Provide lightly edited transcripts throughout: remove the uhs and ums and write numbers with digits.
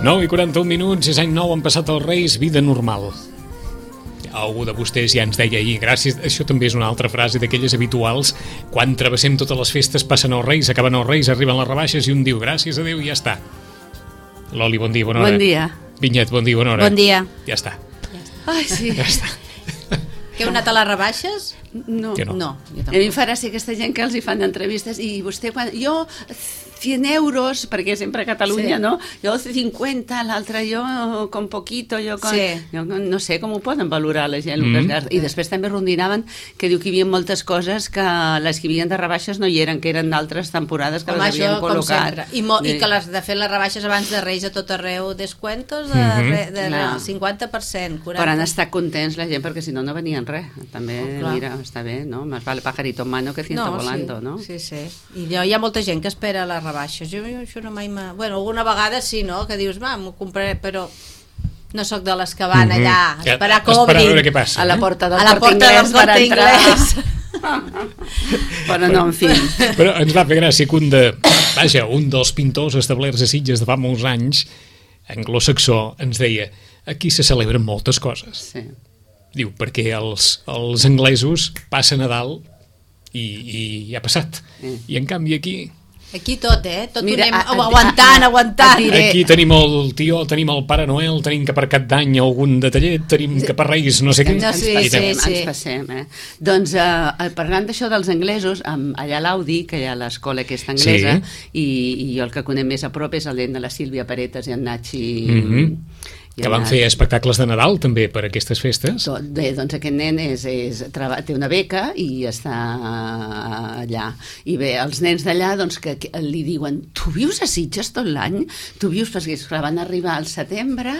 9:41, és any nou, han passat els Reis, vida normal. Algú de vostès ja ens deia ahir, gràcies, això també és una altra frase d'aquelles habituals, quan travessem totes les festes, passen els Reis, acaben els Reis, arriben les rebaixes i un diu, gràcies a Déu, i ja està. Loli, bon dia, bona hora. Bon dia. Vinyet, bon dia, bona hora. Bon dia. Ja està. Ai, sí. Ja està. Que heu anat a les rebaixes? No. Que no. No, jo A mi em fa gràcia aquesta gent que els hi fan entrevistes i vostè quan... Jo, 100 euros, perquè sempre a Catalunya, Sí. no? Jo 50, l'altre jo con poquito, jo con... Sí. Jo no sé com ho poden valorar la gent. El que es gasta. I després també rondinaven que diu que hi havia moltes coses que les que hi havia de rebaixes no hi eren, que eren d'altres temporades que Home, les havien això, com col·locat. sempre. I que les de fer les rebaixes abans de Reis a tot arreu, descuentos de Clar. 50%, 40%. Però han estat contents la gent perquè si no, no venien res. També, clar. mira, està bé, no? Más vale pajarito en mano que ciento volando, sí, no? Sí, sí. I hi ha molta gent que espera les rebaixes. Jo això no mai Bueno, alguna vegada sí, no? Que dius, va, m'ho compraré, però no sóc de les que van allà a esperar que Esperar a obrin. veure què passa. A la porta del A la Corte porta del Inglés per Corte entrar. Inglés. Però no, en fi. Però ens va fer gràcia que un dels pintors establerts a Sitges de fa molts anys, anglosaxó, ens deia, aquí se celebren moltes coses. Sí. Diu, perquè els anglesos passen Nadal i ja ha passat. I en canvi aquí Aquí tot, Tot Mira, ho anem aguantant. aquí tenim el tió, tenim el Pare Noel, tenim que per Cap d'Any algun detallet, tenim que per Reis no sé què. No, sí, Ens passem. Doncs parlant d'això dels anglesos, allà a l'Audi, que hi ha l'escola aquesta anglesa, i jo el que conec més a prop és el nen de la Sílvia Paretas i en Nachi... Que van fer espectacles de Nadal també per aquestes festes. Bé, doncs aquest nen té una beca i està allà. I bé, els nens d'allà doncs, que li diuen, tu vius a Sitges tot l'any? Tu vius, perquè clar, van arribar al setembre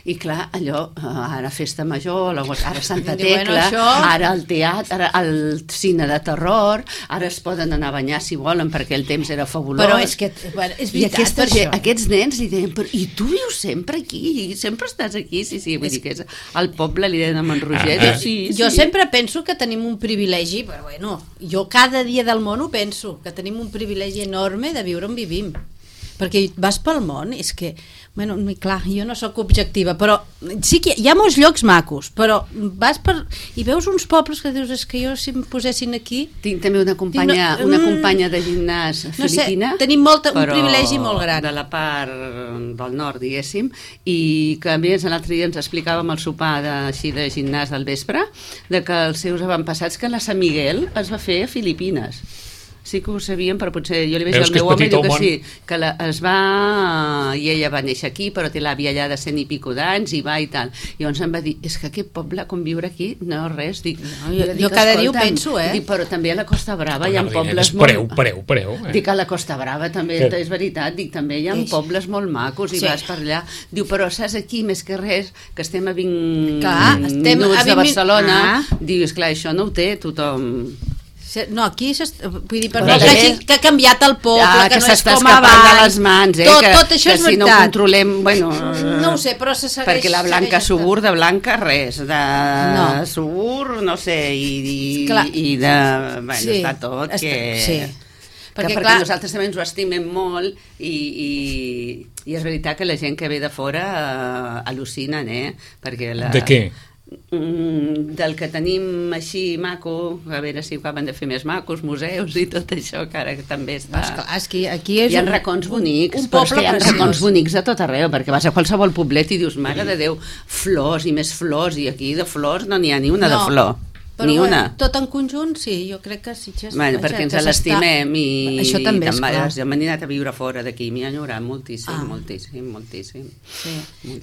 i clar, allò, ara festa major, ara Santa Tecla, ara el teatre, ara el cine de terror, ara es poden anar a banyar si volen perquè el temps era fabulós. Però és que és veritat, I aquests nens li deien, i tu vius sempre aquí? I sempre estàs aquí? Sí, vull dir que és al poble, li deien a Roger. Jo sempre penso que tenim un privilegi, però bueno, jo cada dia del món ho penso, que tenim un privilegi enorme de viure on vivim. Perquè vas pel món, és que, bueno, clar, jo no sóc objectiva, però sí que hi ha molts llocs macos, però vas i veus uns pobles que dius, és que jo si em posessin aquí... Tinc també una companya de gimnàs filipina, no sé, tenim un privilegi molt gran. De la part del nord, diguéssim, i que a més l'altre dia ens explicàvem el sopar de gimnàs del vespre, de que els seus avantpassats, que la Sant Miguel es va fer a Filipines. Sí que ho sabíem, però potser jo li veig al meu home i diu que sí, que i ella va néixer aquí, però té l'àvia allà de 100 i pico d'anys i va i tal. I llavors em va dir, és que aquest poble, com viure aquí, no res. Jo cada dia ho penso, Dic, però també a la Costa Brava hi ha pobles Pareu. Dic, a la Costa Brava també, és veritat, dic, també hi ha pobles molt macos i vas per allà. Diu, però saps aquí, més que res, que estem a 20 minuts de Barcelona, diu, esclar, això no ho té tothom. No, aquí vull dir, perdó, que ha canviat el poble, que no és com abans. S'està de les mans, tot això és veritat. Que si no ho controlem, bueno... No ho sé, però se segueix... Perquè la Blanca Subur, de Blanca, res. De Subur, no sé, i de... Bueno, està tot que... Sí. Perquè nosaltres també ens ho estimem molt i és veritat que la gent que ve de fora al·lucinen, perquè De què? Del que tenim així maco, a veure si acaben de fer més macos, museus i tot això, que ara també està... Aquí és hi ha racons bonics, però és que hi ha racons bonics a tot arreu, perquè vas a qualsevol poblet i dius, mare de Déu, flors i més flors, i aquí de flors no n'hi ha ni una de flor. Però ni una. Tot en conjunt, sí, jo crec que Sitges... Bueno, perquè ens l'estimem i... Això també és clar. Jo m'he anat a viure fora d'aquí, m'hi ha enyorat moltíssim. Sí.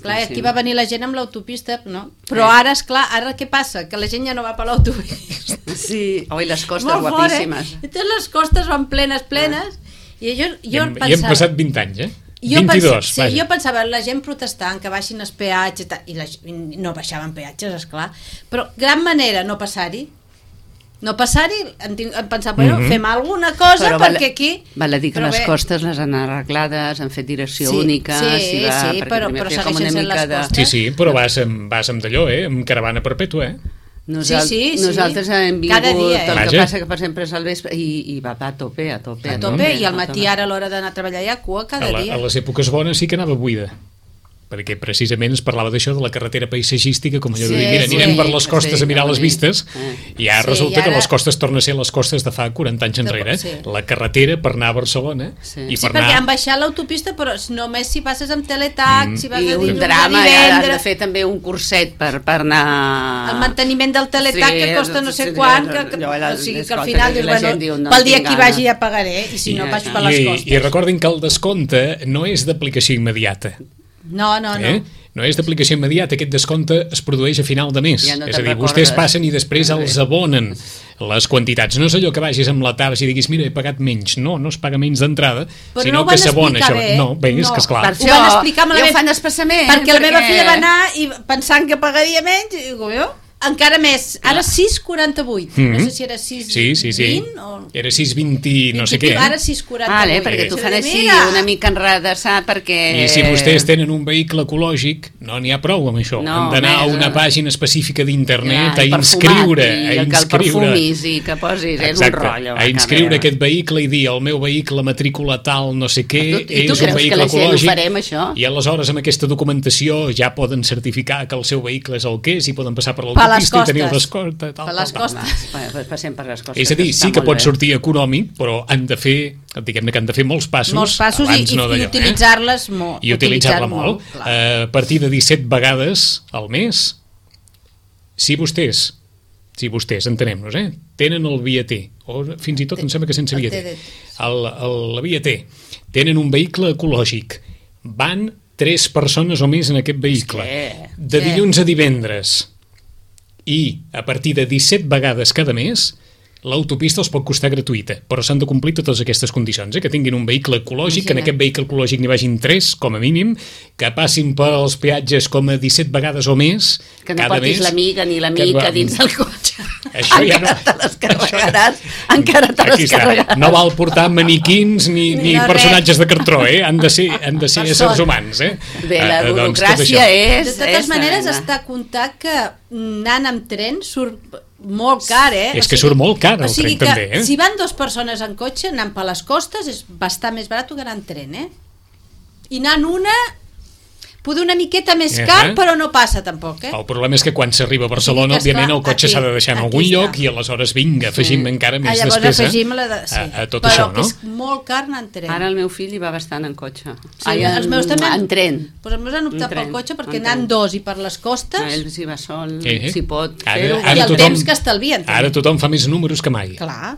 Clar, aquí va venir la gent amb l'autopista, no? Però ara, esclar, ara què passa? Que la gent ja no va per l'autopista. Sí, les costes guapíssimes. Totes les costes van plenes, i jo pensava... I hem passat 20 anys, 22, jo pensava, la gent protestant que baixin els peatges i no baixaven peatges, esclar, però gran manera no passar-hi, em pensava, fem alguna cosa perquè aquí... Val a dir que les costes les han arreglades, han fet direcció única... Sí, però segueixen sent les costes. Sí, però vas amb d'allò, amb caravana perpètua, Nosaltres hem vingut, cada dia, el que passa que per sempre és al vespre i va a tope, i al matí ara a l'hora d'anar a treballar hi ha cua cada dia. A les èpoques bones sí que anava buida. perquè precisament es parlava d'això, de la carretera paisatgística, com allò de dir, Sí, mira, anirem sí. per les costes a mirar les vistes, i ara Sí, resulta i ara- que les costes tornen a ser les costes de fa 40 anys enrere. Sí. La carretera per anar a Barcelona Sí. i Sí, per perquè han anar... baixat l'autopista, però només si passes amb teletac, si vas I de un dilluns a drama, i ara has de divendres... fer també un curset per anar... El manteniment del teletac, que costa no sé quant, o sigui que al final dius, bueno, pel dia que hi vagi ja pagaré, i si no vaig per les costes. I recordin que el descompte no és d'aplicació immediata. No. No és d'aplicació immediata, aquest descompte es produeix a final de mes. Ja no És te'n a dir, recordes. vostès passen i després els abonen les quantitats. No és allò que vagis amb la TARS i diguis, mira, he pagat menys. No es paga menys d'entrada, Però sinó no ho que van s'abona. explicar bé. No, bé, és que esclar. Per Ho van explicar ja malament. ho fan expressament. Perquè la meva filla va anar i pensant que pagaria menys, i dic, jo, encara més, ara 6,48, no sé si era 6,20 Sí. o... Era 6,20 no sé què. Ara 6,48. Vale, perquè t'ho fan així una mica enredessar perquè... I si vostès tenen un vehicle ecològic, no n'hi ha prou amb això. No, Han d'anar a més, una pàgina específica d'internet Ja, a i inscriure. perfumat, i que el perfumis i que posis, és un rotllo. a inscriure aquest vehicle i dir el meu vehicle matrícula tal no sé què, I tu és un creus que vehicle la gent ho ecològic, farem, això? i aleshores amb aquesta documentació ja poden certificar que el seu vehicle és el que és i poden passar per les l'autopista i tenir el costes. descompte. Per les costes. Passem per les costes. És a dir, sí està que molt pot bé. sortir econòmic, però han de fer, diguem-ne que han de fer molts passos, abans i no d'allò, utilitzar-les molt. i utilitzar-la molt. A partir de 17 vegades al mes, si vostès, entenem-nos, tenen el via T, o fins i tot em sembla que sense via T, la via T, tenen un vehicle ecològic, van 3 persones o més en aquest vehicle, de dilluns a divendres, i a partir de 17 vegades cada mes, l'autopista els pot costar gratuïta, però s'han de complir totes aquestes condicions, que tinguin un vehicle ecològic, que en aquest vehicle ecològic n'hi vagin 3, com a mínim, que passin pels peatges com a 17 vegades o més que no cada portis mes. l'amiga ni l'amica dins del cotxe. Això ja encara no. te les carregaràs. Encara te Aquí les està. carregaràs. No val portar maniquins ni no personatges de cartró, han de ser éssers humans. Bé, la Doncs tot burocràcia això. és... De totes maneres, està a comptar que anant amb tren surt molt car, És que surt molt car el tren, que també, si van 2 persones en cotxe, anant per les costes, és bastant més barat que anar en tren, I anant una, poder una miqueta més car, però no passa tampoc, El problema és que quan s'arriba a Barcelona, Sí, que òbviament, el esclar, cotxe s'ha de deixar en aquí algun està. lloc i aleshores, vinga, afegim encara més llavors despesa afegim a tot però això, que no? és molt car anar en tren. Ara el meu fill hi va bastant en cotxe. Sí, els meus també En tren. Pues els meus han optat En tren, pel cotxe perquè en anant tren. 2 i per les costes Ell s'hi va sol, Eh? si pot Ara- fer-ho. ara i el tothom- temps que estalvien. també. Ara tothom fa més números que mai. Clar.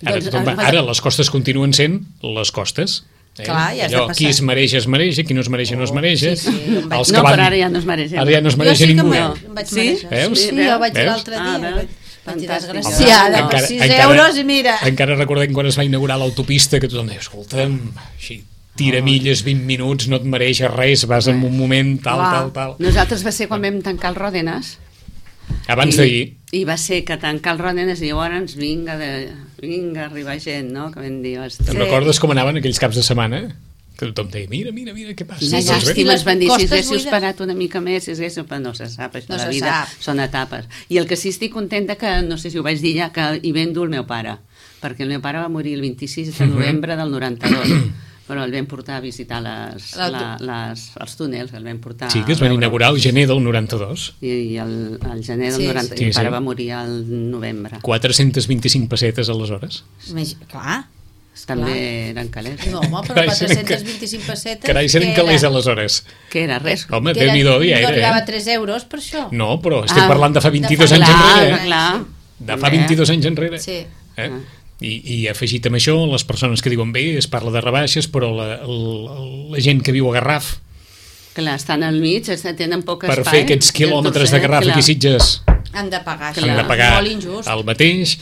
Ara les costes continuen sent les costes. Clar, ja has de Allò, passar. qui es mereix, qui no es mereix, no es mereix. sí, em vaig- Els No, que van... però ara ja no es mereix. Ara ja no es mereix jo sí que ningú. em vaig Sí? mereixer. Veus? Sí, jo vaig Veus? l'altre dia. veus? Vaig dir Fantàstic. desgraciada, per 6 euros i mira. Encara recordem quan es va inaugurar l'autopista que tothom deia, escolta'm, així, tira milles, 20 minuts, no et mereix res, vas en un moment, tal. Nosaltres va ser quan vam tancar el Ròdenes. Abans d'ahir. I va ser que tancar el Ròdenes i llavors vinga a arribar gent, no? Que vam dir, Te'n recordes com anaven aquells caps de setmana? Que tothom deia, mira, què passa? Quina sí, llàstima, es van dir, si costes haguéssiu buides. esperat una mica més, si haguéssiu... Però no se sap, això No de la se vida sap. són etapes. I el que sí estic contenta que, no sé si ho vaig dir ja, que hi vam dur el meu pare, perquè el meu pare va morir el 26 de novembre del 92, però el vam portar a visitar els túnels, el vam portar... Sí, que es van inaugurar el gener del 92. I el gener del Sí, 90, sí. i el pare Sí. va morir al novembre. 425 pessetes aleshores. Clar. També eren calés. No, home, però 425 pessetes... Carai, eren calés aleshores. Què era? Res? Home, Que Déu-n'hi-do dia no arribava a era, 3 euros per això. No, però estem parlant de fa 22 de fa- anys Clar, enrere. Clar. De fa 22 anys enrere. Sí. I afegit amb això, les persones que diuen bé, es parla de rebaixes, però la gent que viu a Garraf, Clar, estan al mig, tenen poc per espai. fer aquests quilòmetres de Garraf aquí a Sitges, Han de pagar, Clar. han de pagar molt injust. el mateix,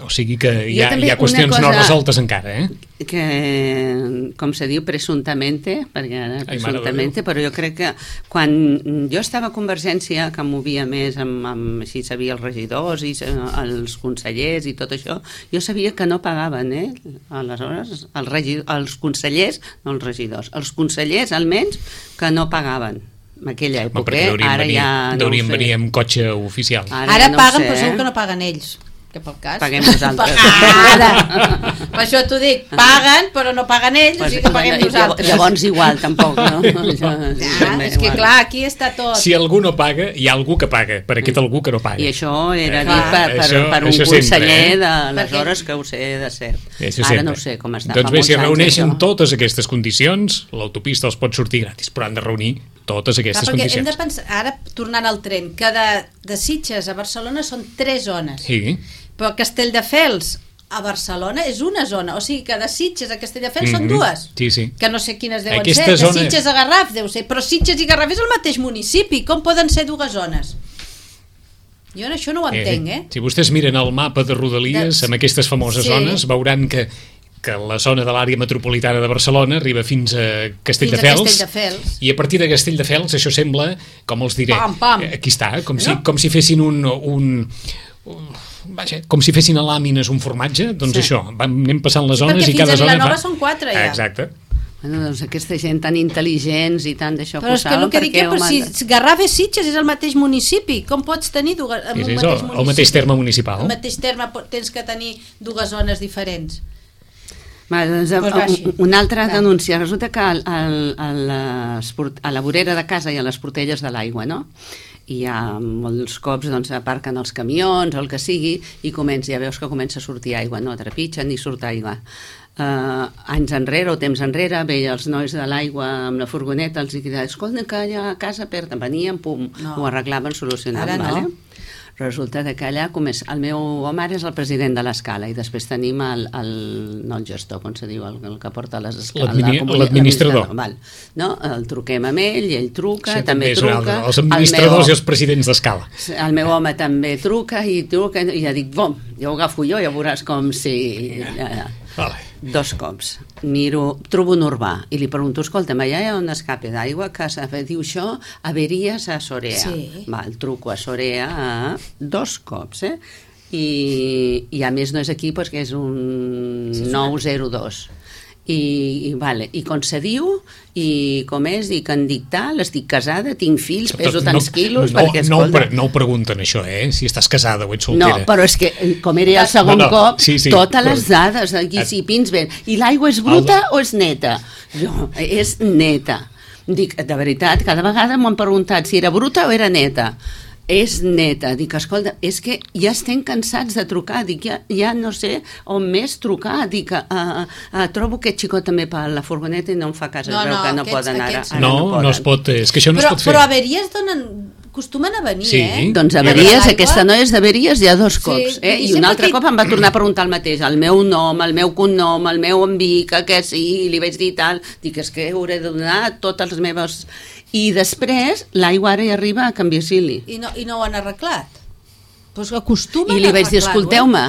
o sigui que hi ha també qüestions una no cosa- resoltes encara, Que, com se diu, presumptamente, perquè ara Ai, mare de presumptamente, però jo crec que quan jo estava a Convergència, que movia més amb així sabia els regidors i els consellers i tot això, jo sabia que no pagaven, aleshores els consellers, no els regidors, els consellers almenys que no pagaven en aquella època, perquè ara ja no ho deurien sé. venir amb cotxe oficial. Ara ja no ho paguen, sé, però segur que no paguen ells. que pel cas... Paguem nosaltres. Ara! Per això t'ho dic, paguen, però no paguen ells, o sigui que paguem nosaltres. Llavors igual, tampoc, no? És que clar, aquí està tot. Si algú no paga, hi ha algú que paga, per aquest algú que no paga. I això era dit per un conseller d'aleshores que ho sé de cert. Ara no ho sé com està. Doncs bé, si reuneixen totes aquestes condicions, l'autopista els pot sortir gratis, però han de reunir totes aquestes condicions. Hem de pensar, ara tornant al tren, que de Sitges a Barcelona són 3 zones. Sí. Però Castelldefels a Barcelona és una zona, o sigui que de Sitges a Castelldefels són 2. Sí, sí. Que no sé quines deuen Aquesta ser, de zona... Sitges a Garraf deu ser, però Sitges i Garraf és el mateix municipi, com poden ser 2 zones? Jo això no ho entenc, Si vostès miren el mapa de Rodalies, amb aquestes famoses zones, veuran que la zona de l'àrea metropolitana de Barcelona arriba fins a Castelldefels, i a partir de Castelldefels això sembla, com els diré, aquí està, com si fessin com si fessin a làmines un formatge, doncs això, anem passant les zones i cada zona... Perquè fins a Vilanova són 4 ja. Exacte. Bueno, doncs aquesta gent tan intel·ligents i tant d'això però és que el que dic però si Garraf és Sitges és el mateix municipi, com pots tenir el mateix terme municipal? El mateix terme tens que tenir 2 zones diferents. Una altra denúncia, resulta que a la vorera de casa hi ha les portelles de l'aigua, no? I molts cops aparquen els camions o el que sigui i ja veus que comença a sortir aigua, no trepitgen ni surt aigua. Anys enrere o temps enrere veia els nois de l'aigua amb la furgoneta, els diuen, escolta que allà a casa perden, venien, pum, ho arreglaven, solucionaven. Ara no. Resulta que allà el meu home ara és el president de l'escala i després tenim no el gestor, com se diu, el que porta les escales, l'administrador. No? El truquem amb ell i ell truca, també truca. Els administradors i els presidents d'escala. El meu home també truca i ja dic, bom, ja ho agafo jo, ja veuràs com si... Vale. 2 cops. Trobo un urbà i li pregunto, escolta'm, allà hi ha un escape d'aigua que diu això, averies a Sorea. Sí. Truco a Sorea 2 cops, i a més no és aquí, que és un 902. I com se diu i com és, dic en dictar, estic casada, tinc fills, peso tants quilos, perquè escolta... No ho pregunten això, si estàs casada o ets soltera. No, però és que com era el segon cop, totes les dades aquí si pins ben, i l'aigua és bruta o és neta? Jo, és neta. Dic, de veritat, cada vegada m'han preguntat si era bruta o era neta. És neta, dic, escolta, és que ja estem cansats de trucar, dic, ja no sé on més trucar, dic, trobo aquest xicot també per la furgoneta i no em fa cas, veu que no poden ara. No es pot, és que això no es pot fer. Però averies acostumen a venir, Doncs averies, aquesta noia és d'averies ja 2 cops, i un altre cop em va tornar a preguntar el mateix, el meu nom, el meu cognom, el meu envic, que sí, li vaig dir tal, dic, és que hauré de donar totes les meves... I després l'aigua ara hi arriba a Can Virgili. I no ho han arreglat? Pues acostumen I li vaig dir, escolteu-me,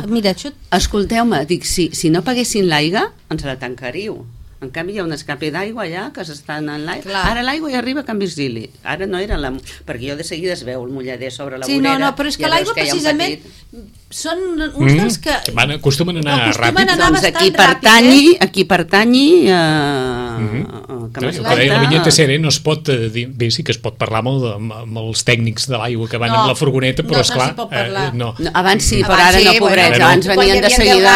escolteu-me, dic, si no paguessin l'aigua, ens la tancaríeu. En canvi hi ha un escape d'aigua allà que s'estan en l'aigua. Ara l'aigua hi arriba a Can Virgili. Ara no era perquè jo de seguida es veu el mullader sobre la vorera. No, però és que l'aigua precisament són uns dels que... Acostumen a anar ràpid. Doncs aquí pertanyi la vinyeta SER no es pot dir, bé, sí que es pot parlar amb els tècnics de l'aigua que van amb la furgoneta, però esclar abans sí, però ara no, pobrets, abans venien de seguida,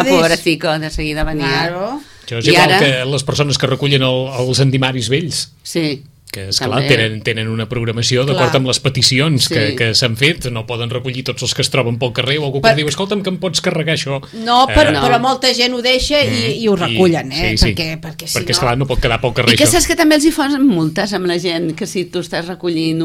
pobrecico, de seguida venia. Això és igual que les persones que recullen els endimaris vells. Sí. Que, esclar, tenen una programació d'acord amb les peticions que s'han fet, no poden recollir tots els que es troben pel carrer o algú que diu, escolta'm, que em pots carregar això. No, però molta gent ho deixa i ho recullen, perquè si no... Perquè, esclar, no pot quedar pel carrer això. I que saps que també els hi fan multes amb la gent, que si tu estàs recollint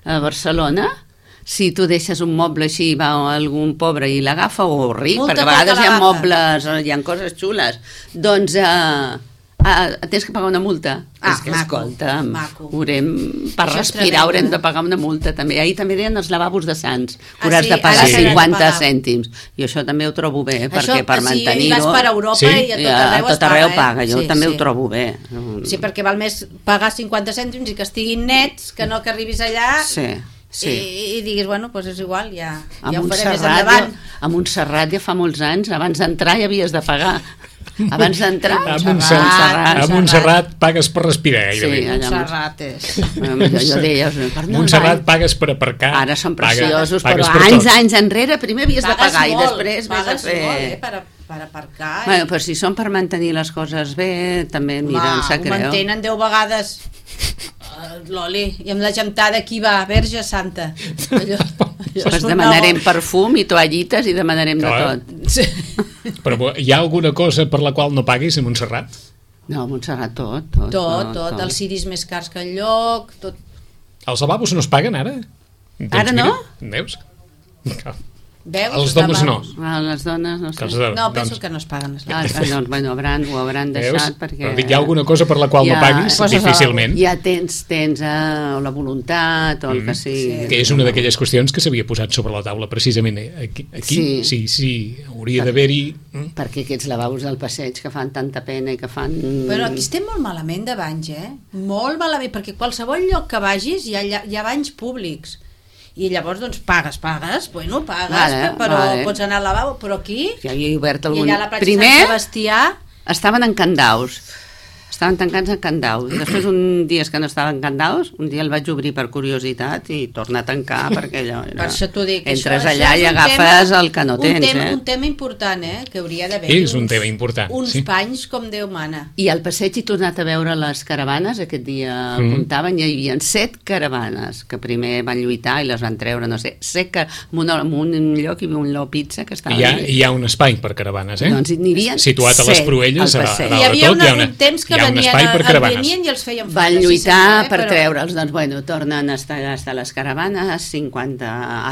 a Barcelona... Si tu deixes un moble així, va algun pobre i l'agafa o ric, perquè a vegades hi ha mobles, hi ha coses xules, doncs tens que pagar una multa. És que, escolta, per respirar haurem de pagar una multa també. Ahir també deien els lavabos de Sants, que hauràs de pagar 50 cèntims. I això també ho trobo bé, perquè per mantenir-ho... Si vas per Europa i a tot arreu paga, jo també ho trobo bé. Sí, perquè val més pagar 50 cèntims i que estiguin nets que no que arribis allà... Sí. I diguis, bueno, doncs és igual, ja ho faré més endavant. A Montserrat ja fa molts anys, abans d'entrar ja havies de pagar. Abans d'entrar, A Montserrat pagues per respirar, gairebé. Sí, allà Montserrat és... jo deia, Montserrat pagues per aparcar. Ara són preciosos, pagues però per tot. anys enrere primer havies de pagar i després vés a fer... Pagues molt, per aparcar. Bueno, però si són per mantenir les coses bé, també, mira, em sap greu. Ho mantenen 10 vegades l'oli, i amb la gentada aquí va, Verge Santa. Pues demanarem perfum i toallites i demanarem de tot. Sí. Però hi ha alguna cosa per la qual no paguis a Montserrat? No, a Montserrat tot. Els ciris més cars que enlloc, tot. Els lavabos no es paguen ara? Doncs Ara no? Mira, veus? Veus? Els dones no. Les dones no sé. No, penso que no es paguen les doncs, bueno, ho hauran deixat perquè... Però dic, hi ha alguna cosa per la qual no paguis? Difícilment. Ja tens la voluntat o el que sigui. Que és una d'aquelles qüestions que s'havia posat sobre la taula precisament aquí. Sí, hauria d'haver-hi... Perquè aquests lavabos del passeig que fan tanta pena i que fan... Però aquí estem molt malament de banys, molt malament, perquè qualsevol lloc que vagis hi ha banys públics. I llavors, doncs, pagues, però pots anar al lavabo, però aquí... Ja havia obert algun... I allà a la platja Sant Sebastià... Estaven en Candaus. Estaven tancats en Candaus. I després, un dia que no estaven en Candaus, un dia el vaig obrir per curiositat i tornar a tancar, perquè allò... Per això t'ho dic. Entres allà i agafes el que no tens, Un tema important, que hauria d'haver... És un tema important, uns panys com Déu mana. I al passeig he tornat a veure les caravanes, aquest dia comptaven, hi havia 7 caravanes, que primer van lluitar i les van treure, no sé, en un lloc hi havia un Lo Pizza que estava... Hi ha un espai per caravanes, Doncs n'hi havia situat a les Proelles, a dalt de tot, hi ha un espai per caravanes. I els feien van lluitar per treure'ls, doncs bueno, tornen a estar les caravanes, 50...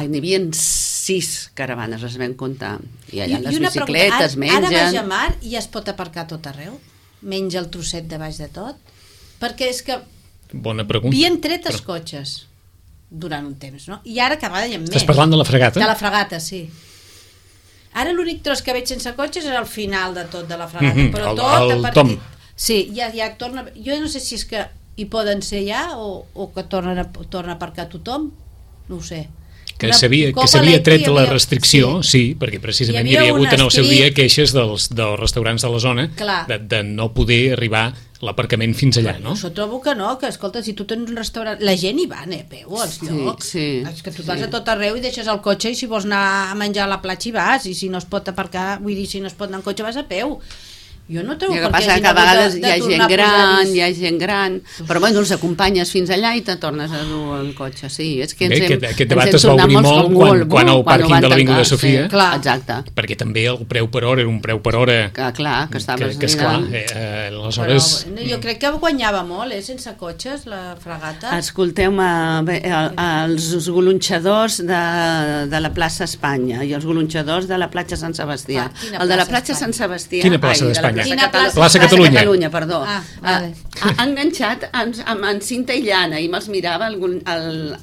n'hi havia 6 caravanes, les vam comptar. I allà les bicicletes mengen... Ara vaig a mar i es pot aparcar tot arreu? Menja el trosset de baix de tot? Perquè és que... Bona pregunta. Havien tret els cotxes durant un temps, no? I ara cada any en més. Estàs parlant de la fregata? De la fregata, sí. Ara l'únic tros que veig sense cotxes és al final de tot de la fregata, però tot el Tom. Sí, ja torna... Jo no sé si és que hi poden ser ja o que torna a aparcar tothom, no ho sé. Que s'havia tret la restricció, sí, perquè precisament hi havia hagut en el seu dia queixes dels restaurants de la zona de no poder arribar l'aparcament fins allà, no? Jo trobo que no, que escolta, si tu tens un restaurant... La gent hi va, a peu, als llocs. És que tu vas a tot arreu i deixes el cotxe i si vols anar a menjar a la platja hi vas, i si no es pot aparcar, vull dir, si no es pot anar en cotxe vas a peu. Jo no trobo per què que a vegades hi ha gent gran, però bueno, els acompanyes fins allà i te tornes a dur el cotxe. Sí, és que aquest debat es va obrir molt quan el pàrquing de l'Avinguda Sofia, exacte, perquè també el preu per hora era un preu per hora que estaves aleshores... Jo crec que guanyava molt, sense cotxes, la fregata. Escolteu-me, els golonxadors de la plaça Espanya i els golonxadors de la platja Sant Sebastià. El de la platja Sant Sebastià... Quina plaça d'Espanya? Plaça Catalunya, perdó. Ha enganxat amb cinta i llana i me'ls mirava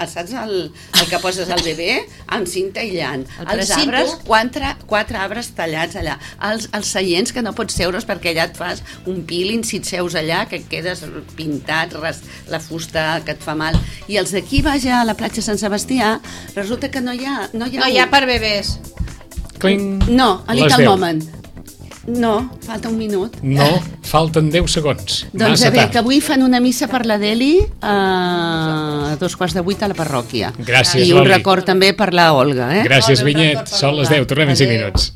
saps el que poses al bebè? Amb cinta i llana. Els arbres, 4 arbres tallats allà. Els seients que no pots seure's perquè allà et fas un peeling si et seus allà, que et quedes pintat, la fusta que et fa mal. I els d'aquí baix a la platja Sant Sebastià resulta que no hi ha per bebès. No, a Little Moment. No, falta un minut. No, falten 10 segons. Doncs a veure, que avui fan una missa per la Deli a 7:15 a la parròquia. Gràcies, I un record també per la Olga. Gràcies, Vinyet. Són les 10, tornem en 5 minuts.